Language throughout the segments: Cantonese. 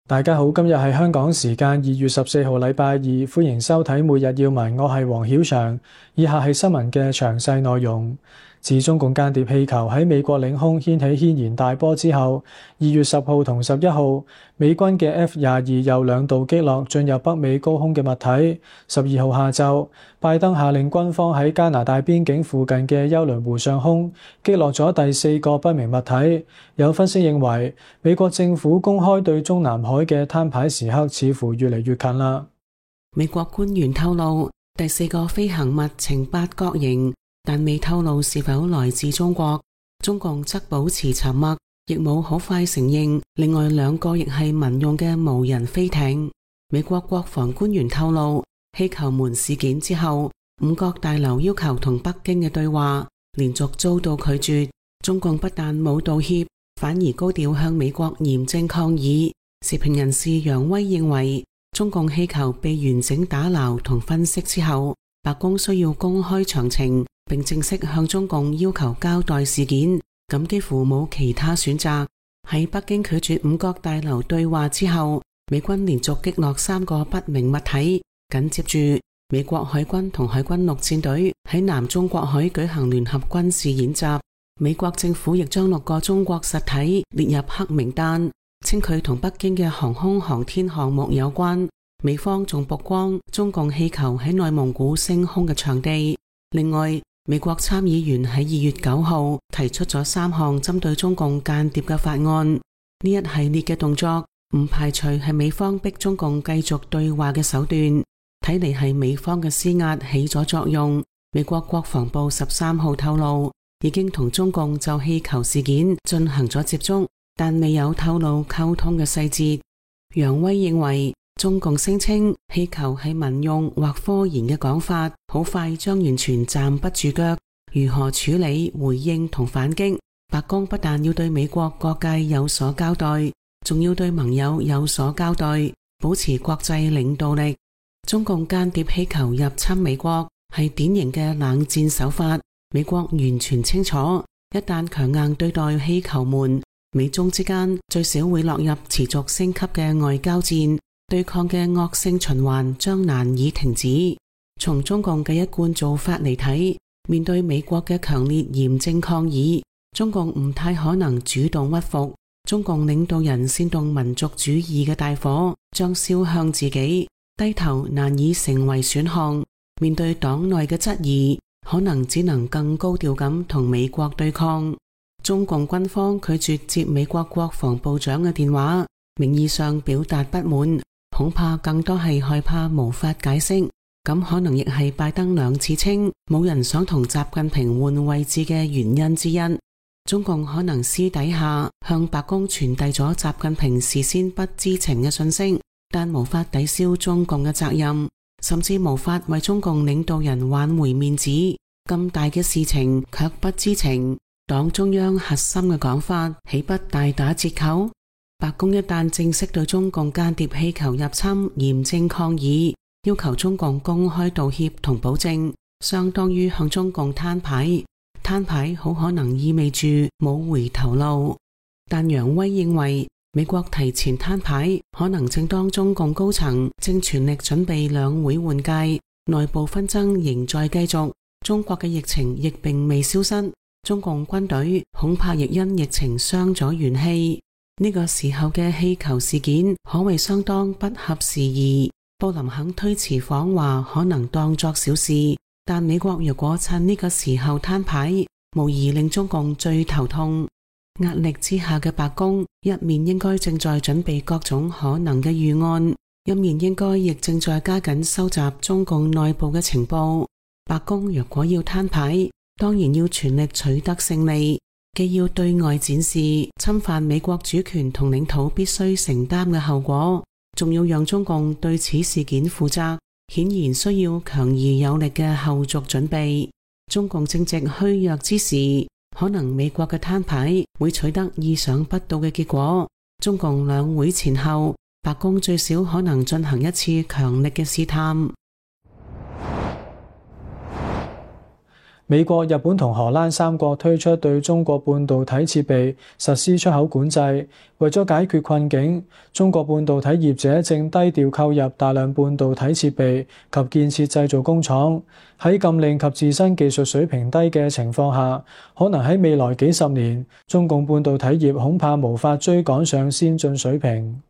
大家好，今日係香港時間2月14號禮拜二，歡迎收睇每日要聞，我係黃曉翔。以下係新聞嘅詳細內容。自中共間諜氣球喺美國領空掀起軒然大波之後，2月10號同11號，美軍嘅 F-22又兩度擊落進入北美高空嘅物體。12號下晝，拜登下令軍方喺加拿大邊境附近嘅休倫湖上空擊落咗第4個不明物體。有分析認為，美國政府公開對中南海嘅攤牌時刻似乎越嚟越近啦。美國官員透露，第4個飛行物呈八角形，但未透露是否來自中國。中共則保持沉默，亦冇好快承認另外2個亦係民用嘅無人飛艇。美國國防官員透露，氣球門事件之後，五角大樓要求同北京嘅對話連續遭到拒絕。中共不但冇道歉，反而高調向美國嚴正抗議。時評人士楊威認為，中共氣球被完整打撈同分析之後，白宮需要公開詳情，並正式向中共要求交代事件，咁幾乎冇其他選擇。喺北京拒絕五角大樓對話之後，美軍連續擊落3個不明物體，緊接住美國海軍同海軍陸戰隊喺南中國海舉行聯合軍事演習。美國政府亦將6個中國實體列入黑名單，稱佢同北京嘅航空航天項目有關。美方仲曝光中共氣球喺內蒙古升空嘅場地。另外，美國參議員喺2月9號提出咗3項針對中共間諜嘅法案。呢一系列嘅動作唔排除係美方逼中共繼續對話嘅手段，睇嚟係美方嘅施壓起咗作用。美國國防部13號透露，已經同中共就氣球事件進行咗接觸，但未有透露溝通嘅細節。楊威認為，中共聲稱氣球係民用或科研嘅講法，好快將完全站不住腳。如何處理、回應同反擊？白宮不但要對美國各界有所交代，仲要對盟友有所交代，保持國際領導力。中共間諜氣球入侵美國係典型嘅冷戰手法，美國完全清楚，一旦強硬對待氣球門，美中之間最少會落入持續升級嘅外交戰。對抗嘅惡性循環將難以停止。從中共嘅一貫做法嚟睇，面對美國嘅強烈嚴正抗議，中共唔太可能主動屈服。中共領導人煽動民族主義嘅大火將燒向自己，低頭難以成為選項。面對黨內嘅質疑，可能只能更高調咁同美國對抗。中共軍方拒絕接美國國防部長嘅電話，名義上表達不滿，恐怕更多係害怕無法解釋，咁可能亦係拜登2次稱冇人想同習近平換位置嘅原因之一。中共可能私底下向白宮傳遞咗習近平事先不知情嘅信息，但無法抵消中共嘅責任，甚至無法為中共領導人挽回面子。咁大嘅事情卻不知情，黨中央核心嘅講法豈不大打折扣？白宮一旦正式對中共間諜氣球入侵嚴正抗議，要求中共公開道歉同保證，相當於向中共攤牌。攤牌好可能意味住冇回頭路。但楊威認為，美國提前攤牌，可能正當中共高層正全力準備兩會換屆，內部紛爭仍在繼續，中國嘅疫情亦並未消失，中共軍隊恐怕亦因疫情傷咗元氣。呢個時候嘅氣球事件可謂相當不合時宜，布林肯推遲訪華可能當作小事，但美國若果趁呢個時候攤牌，無疑令中共最頭痛。壓力之下嘅白宮，一面應該正在準備各種可能嘅預案，一面應該亦正在加緊收集中共內部嘅情報。白宮若果要攤牌，當然要全力取得勝利，既要對外展示侵犯美國主權同領土必須承擔嘅後果，仲要讓中共對此事件負責，顯然需要強而有力嘅後續準備。中共正值虛弱之時，可能美國嘅攤牌會取得意想不到嘅結果。中共兩會前後，白宮最少可能進行一次強力嘅試探。美國、日本同荷蘭三國推出對中國半導體設備實施出口管制，為咗解決困境，中國半導體業者正低調購入大量半導體設備及建設製造工廠。喺禁令及自身技術水平低嘅情況下，可能喺未來幾十年，中共半導體業恐怕無法追趕上先進水平。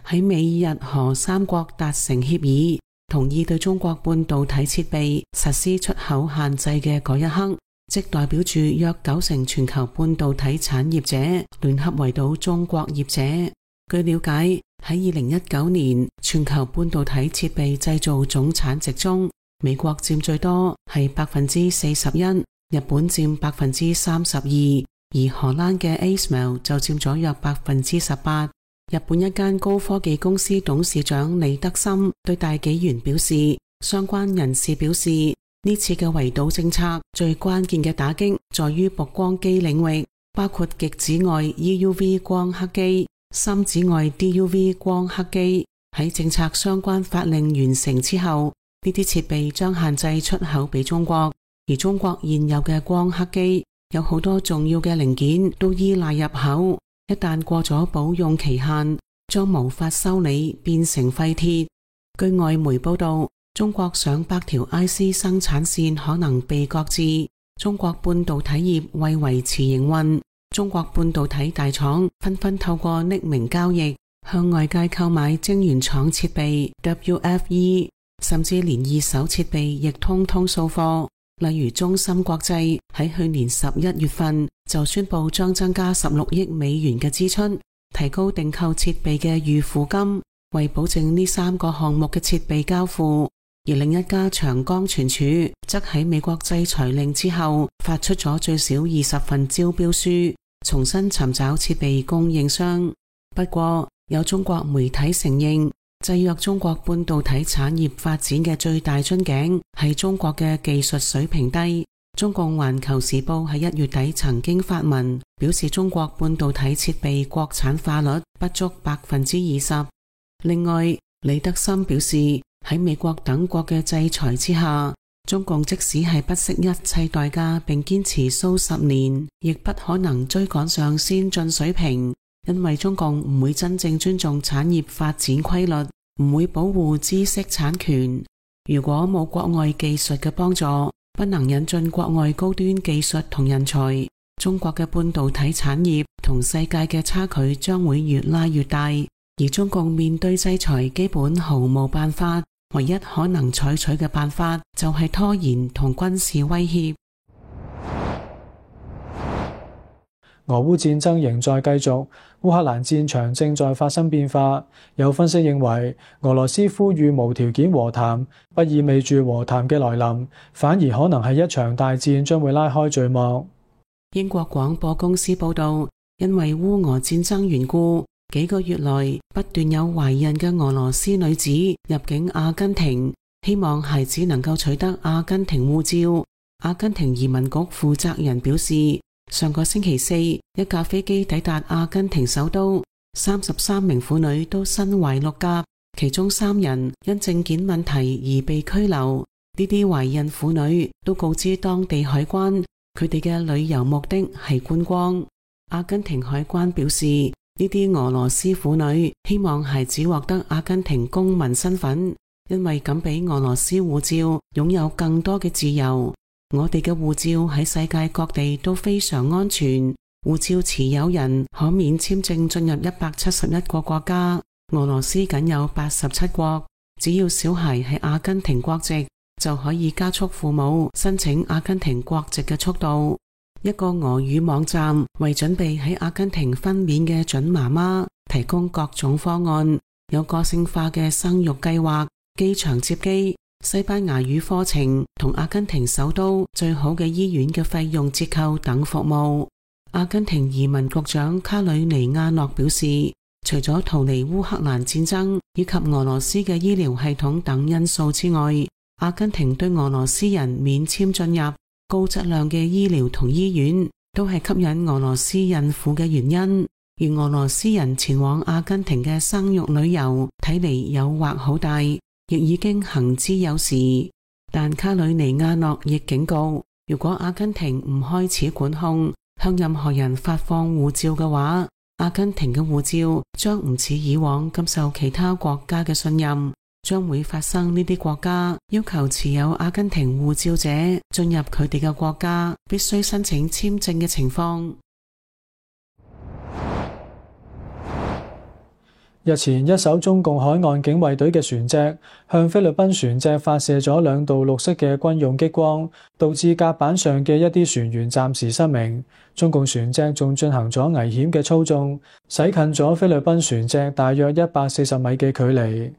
喺美日荷三國達成協議，同意對中國半導體設備實施出口限制嘅嗰一刻，即代表住約90%全球半導體產業者聯合圍堵中國業者。據了解，喺2019年全球半導體設備製造總產值中，美國佔最多係41%，日本佔32%，而荷蘭嘅 ASML 就佔咗約18%。日本一間高科技公司董事長李德森對大紀元表示，相關人士表示，呢次嘅圍堵政策最關鍵嘅打擊在於曝光機領域，包括極紫外 EUV 光刻機、深紫外 DUV 光刻機。喺政策相關法令完成之後，呢啲設備將限制出口俾中國，而中國現有嘅光刻機有好多重要嘅零件都依賴入口。一旦過咗保用期限，將無法修理，變成廢鐵。據外媒報道，中國上百條 IC 生產線可能被擱置。中國半導體業為維持營運，中國半導體大廠紛紛透過匿名交易向外界購買晶圓廠設備 WFE， 甚至連二手設備亦通通掃貨。例如中芯國際喺去年11月份就宣布將增加16億美元嘅支出，提高訂購設備嘅預付金，為保證呢3個項目嘅設備交付。而另一家長江存儲則喺美國制裁令之後發出咗最少20份招標書，重新尋找設備供應商。不過有中國媒體承認，制約中國半導體產業發展嘅最大樽頸係中國嘅技術水平低。中共環球時報喺1月底曾經發文表示，中國半導體設備國產化率不足20%。另外，李德森表示，喺美國等國嘅制裁之下，中共即使係不惜一切代價並堅持數十年，亦不可能追趕上先進水平。因為中共唔會真正尊重產業發展規律，唔會保護知識產權。如果冇國外技術嘅幫助，不能引進國外高端技術同人才，中國嘅半導體產業同世界嘅差距將會越拉越大。而中共面對制裁基本毫無辦法，唯一可能採取嘅辦法就係拖延同軍事威脅。俄烏戰爭仍在繼續，烏克蘭戰場正在發生變化。有分析認為，俄羅斯呼籲無條件和談，不意味住和談嘅來臨，反而可能係一場大戰將會拉開序幕。英國廣播公司報道，因為烏俄戰爭緣故，幾個月來不斷有懷孕嘅俄羅斯女子入境阿根廷，希望孩子能夠取得阿根廷護照。阿根廷移民局負責人表示，上個星期四，一架飛機抵達阿根廷首都，33名婦女都身懷六甲，其中3人因證件問題而被拘留。呢啲懷孕婦女都告知當地海關，佢哋嘅旅遊目的係觀光。阿根廷海關表示，呢啲俄羅斯婦女希望孩子獲得阿根廷公民身份，因為咁比俄羅斯護照擁有更多嘅自由。我哋嘅護照喺世界各地都非常安全，護照持有人可免簽證進入171個國家，俄羅斯僅有87國。只要小孩係阿根廷國籍，就可以加速父母申請阿根廷國籍嘅速度。一個俄語網站為準備喺阿根廷分娩嘅準媽媽提供各種方案，有個性化嘅生育計劃、機場接機、西班牙語課程同阿根廷首都最好嘅醫院嘅費用折扣等服務。阿根廷移民局長卡里尼亞諾表示，除咗逃離烏克蘭戰爭以及俄羅斯嘅醫療系統等因素之外，阿根廷對俄羅斯人免簽進入高質量嘅醫療同醫院都係吸引俄羅斯孕婦嘅原因。而俄羅斯人前往阿根廷嘅生育旅遊睇嚟誘惑好大，亦已經行之有時。但卡里尼亞諾亦警告，如果阿根廷唔開始管控，向任何人發放護照嘅話，阿根廷嘅護照將唔似以往咁受其他國家嘅信任，將會發生呢啲國家要求持有阿根廷護照者進入佢哋嘅國家必須申請簽證嘅情況。日前，一艘中共海岸警衛隊嘅船隻向菲律賓船隻發射咗2道綠色嘅軍用激光，導致甲板上嘅一啲船員暫時失明。中共船隻仲進行咗危險嘅操縱，駛近咗菲律賓船隻大約140米嘅距離。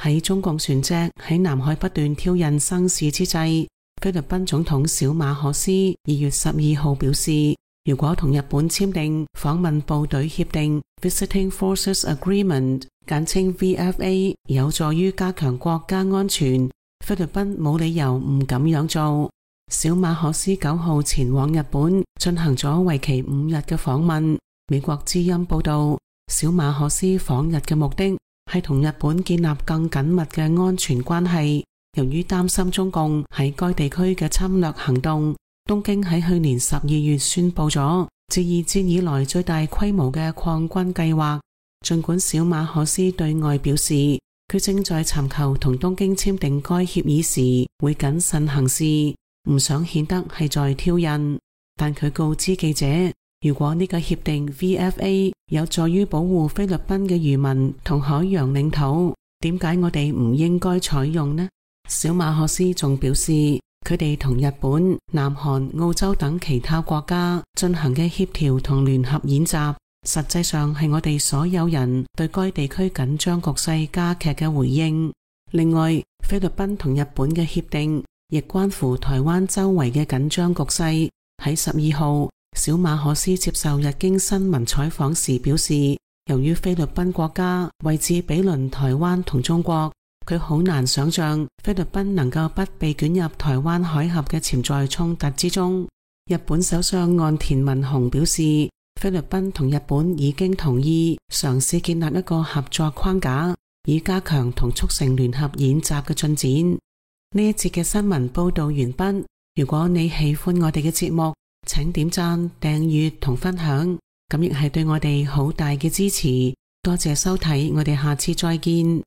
喺中共船隻喺南海不斷挑釁生事之際，菲律賓總統小馬可斯2月12號表示，如果同日本簽訂訪問部隊協定 Visiting Forces Agreement， 簡稱 VFA， 有助於加強國家安全，菲律賓冇理由唔咁樣做。小馬可斯9號前往日本進行咗為期5日嘅訪問。美國之音報道，小馬可斯訪日嘅目的係同日本建立更緊密嘅安全關係。由於擔心中共喺該地區嘅侵略行動，東京喺去年12月宣布咗自二戰以來最大規模嘅擴軍計劃。盡管小馬可斯對外表示佢正在尋求同東京簽訂該協議時會謹慎行事，唔想顯得係在挑釁，但佢告知記者，如果呢個協定 VFA 有助於保護菲律賓嘅漁民同海洋領土，點解我哋唔應該採用呢？小馬可斯仲表示，佢哋同日本、南韓、澳洲等其他國家進行嘅協調同聯合演習，實際上係我哋所有人對該地區緊張局勢加劇嘅回應。另外，菲律賓同日本嘅協定亦關乎台灣周圍嘅緊張局勢。喺12號，小馬可斯接受日經新聞採訪時表示，由於菲律賓國家位置毗鄰台灣同中國，佢好難想象菲律賓能夠不被捲入台灣海峽嘅潛在衝突之中。日本首相岸田文雄表示，菲律賓同日本已經同意嘗試建立一個合作框架，以加強同促成聯合演習嘅進展。呢一節嘅新聞報道完畢。如果你喜歡我哋嘅節目，請點讚、訂閱同分享，咁亦係對我哋好大嘅支持。多謝收睇，我哋下次再見。